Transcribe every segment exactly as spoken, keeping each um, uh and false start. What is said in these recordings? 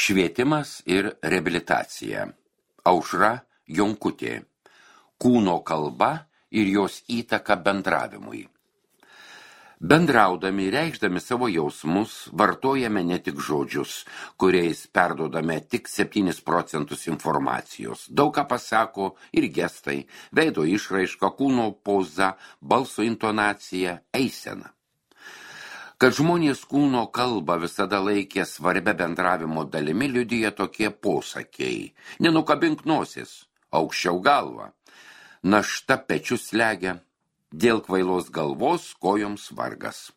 Švietimas ir reabilitacija. Aušra Jonkutė. Kūno kalba ir jos įtaka bendravimui. Bendraudami, reikšdami savo jausmus, vartojame ne tik žodžius, kuriais perduodame tik septynis procentus informacijos. Daug ką pasako ir gestai, veido išraiška, kūno poza, balso intonacija, eisena. Kad žmonės kūno kalbą visada laikė svarbia bendravimo dalimi, liudija tokie posakiai. Nenukabink nosis, aukščiau galva. Našta pečius slegia, dėl kvailos galvos kojoms vargas.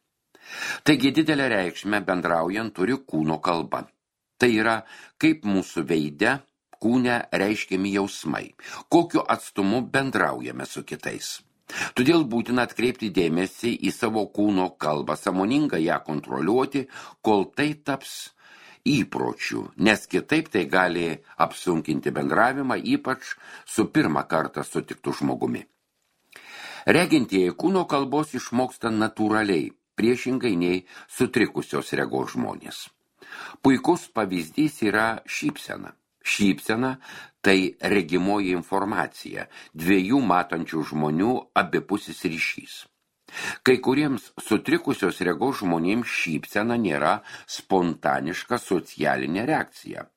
Taigi didelę reikšmę bendraujant turi kūno kalba. Tai yra, kaip mūsų veide, kūne reiškiami jausmai, kokiu atstumu bendraujame su kitais. Todėl būtina atkreipti dėmesį į savo kūno kalbą, sąmoningai ją kontroliuoti, kol tai taps įpročiu, nes kitaip tai gali apsunkinti bendravimą, ypač su pirmą kartą sutiktu žmogumi. Regintieji kūno kalbos išmoksta natūraliai, priešingai nei sutrikusios regos žmonės. Puikus pavyzdys yra šypsena. Šypsena tai regimoji informacija, dviejų matančių žmonių abipusis ryšys. Kai kuriems sutrikusios regos žmonėms šypsena nėra spontaniška socialinė reakcija.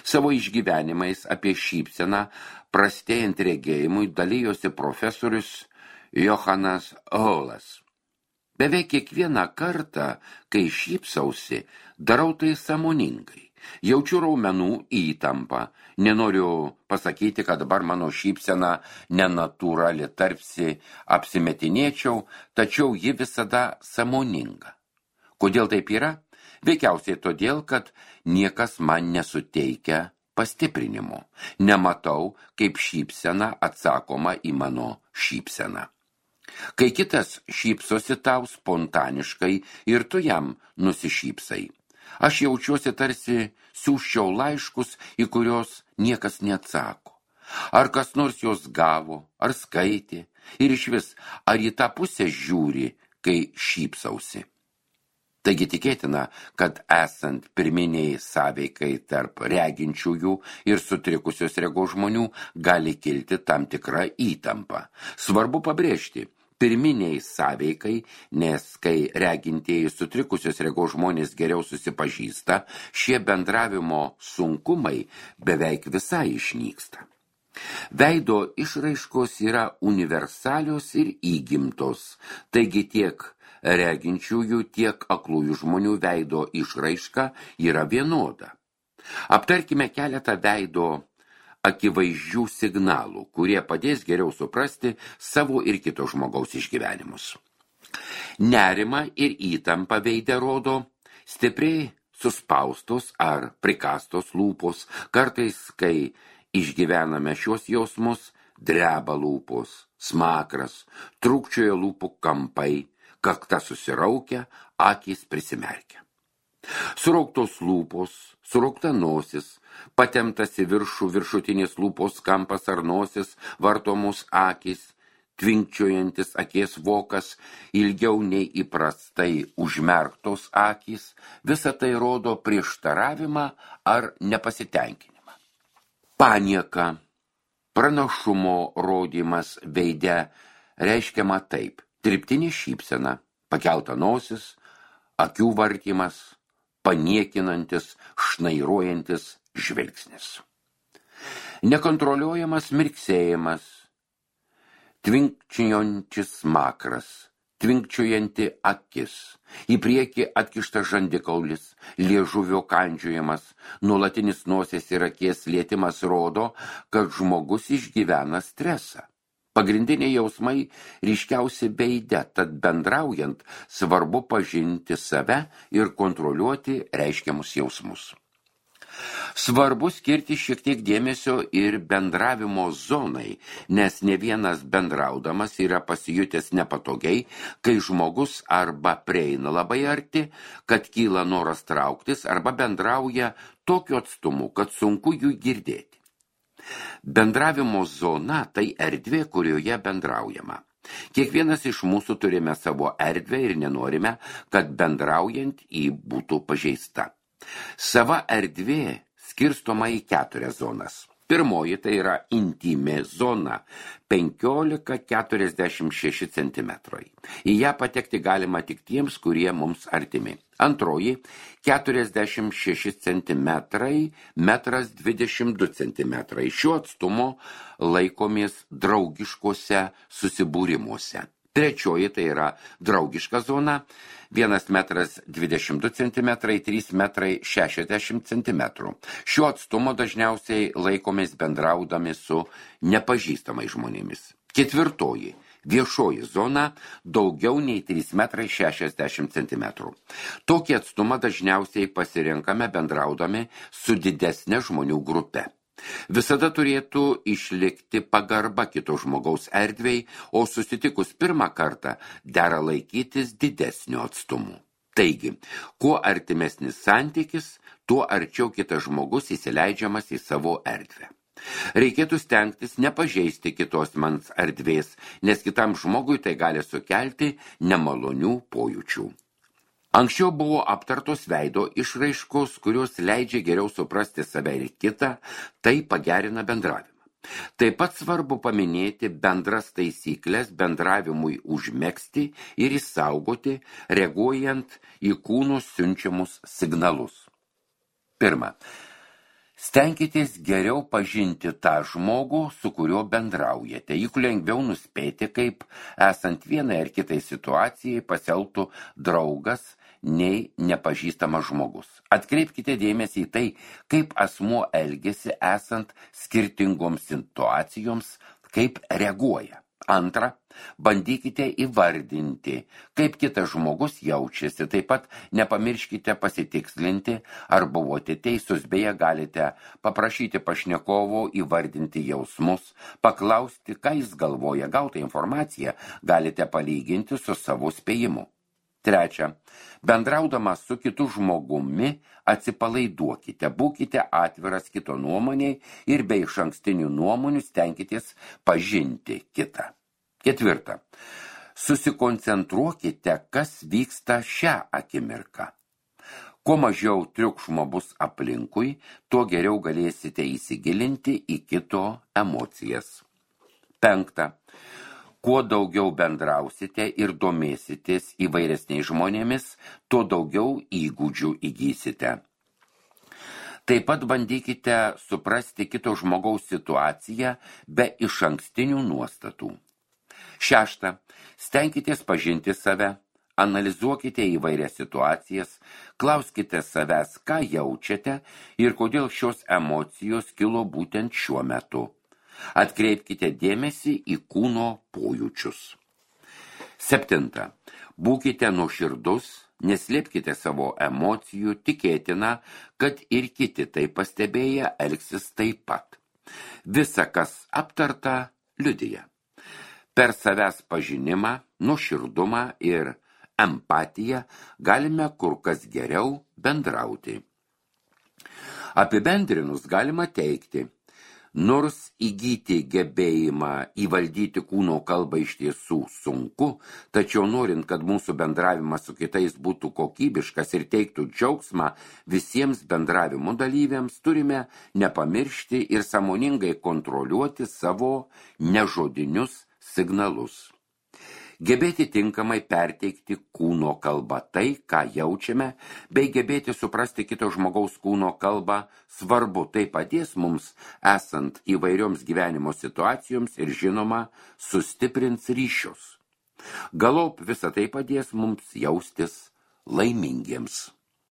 Savo išgyvenimais apie šypseną prastėjant regėjimui dalijosi profesorius Johanas Holas. Beveik kiekvieną kartą, kai šypsausi, darau tai sąmoningai. Jaučiu raumenų įtampą. Nenoriu pasakyti, kad dabar mano šypsena nenatūrali, tarsi apsimetinėčiau, tačiau ji visada sąmoninga. Kodėl taip yra? Veikiausiai todėl, kad niekas man nesuteikia pastiprinimo. Nematau, kaip šypsena atsakoma į mano šypseną. Kai kitas šypsosi tau spontaniškai ir tu jam nusišypsai. Aš jaučiuosi tarsi siųsčiau laiškus, į kurios niekas neatsako. Ar kas nors jos gavo, ar skaitė, ir išvis, ar į tą pusę žiūri, kai šypsausi. Taigi tikėtina, kad esant pirminiai sąveikai tarp reginčiųjų ir sutrikusios regos žmonių gali kilti tam tikra įtampa. Svarbu pabrėžti, pirminiai sąveikai, nes kai regintieji sutrikusios regos žmonės geriau susipažįsta, šie bendravimo sunkumai beveik visai išnyksta. Veido išraiškos yra universalios ir įgimtos, taigi tiek reginčiųjų, tiek aklųjų žmonių veido išraiška yra vienoda. Aptarkime keletą veido akivaizdžių signalų, kurie padės geriau suprasti savo ir kito žmogaus išgyvenimus. Nerima ir įtampa veide rodo stipriai suspaustos ar prikastos lūpos. Kartais, kai išgyvename šios jausmus, dreba lūpos, smakras, trūkčioja lūpų kampai, kakta susiraukia, akys prisimerkia. Surauktos lūpos, suraukta nosis, patemptas į viršų viršutinės lūpos kampas ar nosis, vartomos akys, tvinkčiojantis akies vokas, ilgiau nei įprastai užmerktos akys, visa tai rodo prieštaravimą ar nepasitenkinimą. Panieka, pranašumo rodymas veide reiškiama taip: dirbtinė šypsena, pakelta nosis, akių vartymas, paniekinantis, šnairuojantis žvilgsnis. Nekontroliuojamas mirksėjimas, tvinkčiojantis smakras, tvinkčiojanti akis, į priekį atkištas žandikaulis, liežuvio kandžiojimas, nuolatinis nosies ir akies lietimas rodo, kad žmogus išgyvena stresą. Pagrindiniai jausmai ryškiausi veide, tad bendraujant svarbu pažinti save ir kontroliuoti reiškiamus jausmus. Svarbu skirti šiek tiek dėmesio ir bendravimo zonai, nes ne vienas bendraudamas yra pasijutęs nepatogiai, kai žmogus arba prieina labai arti, kad kyla noras trauktis, arba bendrauja tokiu atstumu, kad sunku jų girdėti. Bendravimo zona tai erdvė, kurioje bendraujama. Kiekvienas iš mūsų turime savo erdvę ir nenorime, kad bendraujant jį būtų pažeista. Sava erdvė skirstoma į keturias zonas. Pirmoji tai yra intymi zona – penkiolika keturiasdešimt šeši centimetrai. Į ją patekti galima tik tiems, kurie mums artimi. Antroji – keturiasdešimt šeši centimetrai, metras dvidešimt du centimetrai. Šiuo atstumu laikomės draugiškose susibūrimuose. Trečioji tai yra draugiška zona – vienas metras dvidešimt du centimetrai, trys metrai šešiasdešimt centimetrų. Šiuo atstumu dažniausiai laikomės bendraudami su nepažįstamais žmonėmis. Ketvirtoji – viešoji zona daugiau nei trys metrai šešiasdešimt centimetrų. Tokį atstumą dažniausiai pasirenkame bendraudami su didesne žmonių grupe. Visada turėtų išlikti pagarba kito žmogaus erdvei, o susitikus pirmą kartą dera laikytis didesnio atstumu. Taigi, kuo artimesnis santykis, tuo arčiau kitas žmogus įsileidžiamas į savo erdvę. Reikėtų stengtis nepažeisti kitos mans erdvės, nes kitam žmogui tai gali sukelti nemalonių pojūčių. Anksčiau buvo aptartos veido išraiškos, kurios leidžia geriau suprasti save ir kitą, tai pagerina bendravimą. Taip pat svarbu paminėti bendras taisyklės bendravimui užmegzti ir išsaugoti, reaguojant į kūnų siunčiamus signalus. Pirma, stenkitės geriau pažinti tą žmogų, su kuriuo bendraujate. Juk lengviau nuspėti, kaip esant vienai ar kitai situacijai pasielgtų draugas, nei nepažįstamas žmogus. Atkreipkite dėmesį į tai, kaip asmuo elgiasi esant skirtingoms situacijoms, kaip reaguoja. Antra, bandykite įvardinti, kaip kitas žmogus jaučiasi. Taip pat nepamirškite pasitikslinti, ar buvote teisus, beje galite paprašyti pašnekovo įvardinti jausmus, paklausti, ką jis galvoja. Gautą informaciją galite palyginti su savo spėjimu. Trečia, bendraudamas su kitu žmogumi atsipalaiduokite, būkite atviras kito nuomoniai ir be išankstinių nuomonių stenkitės pažinti kitą. Ketvirta, susikoncentruokite, kas vyksta šią akimirką. Kuo mažiau triukšmo bus aplinkui, tuo geriau galėsite įsigilinti į kito emocijas. Penkta, kuo daugiau bendrausite ir domėsitės įvairesniais žmonėmis, tuo daugiau įgūdžių įgysite. Taip pat bandykite suprasti kito žmogaus situaciją be išankstinių nuostatų. Šešta, stenkitės pažinti save, analizuokite įvairias situacijas, klauskite savęs, ką jaučiate ir kodėl šios emocijos kilo būtent šiuo metu. Atkreipkite dėmesį į kūno pojūčius. Septinta. Būkite nuoširdus, neslėpkite savo emocijų, tikėtina, kad ir kiti tai pastebėję elgsis taip pat. Visa, kas aptarta, liudija. Per savęs pažinimą, nuoširdumą ir empatiją galime kur kas geriau bendrauti. Apibendrinus galima teigti, nors įgyti gebėjimą įvaldyti kūno kalbą iš tiesų sunku, tačiau norint, kad mūsų bendravimas su kitais būtų kokybiškas ir teiktų džiaugsmą visiems bendravimo dalyviams, turime nepamiršti ir sąmoningai kontroliuoti savo nežodinius signalus. Gebėti tinkamai perteikti kūno kalbą tai, ką jaučiame, bei gebėti suprasti kito žmogaus kūno kalbą svarbu, tai padės mums esant įvairioms gyvenimo situacijoms ir žinoma sustiprins ryšius. Galop visą tai padės mums jaustis laimingiems.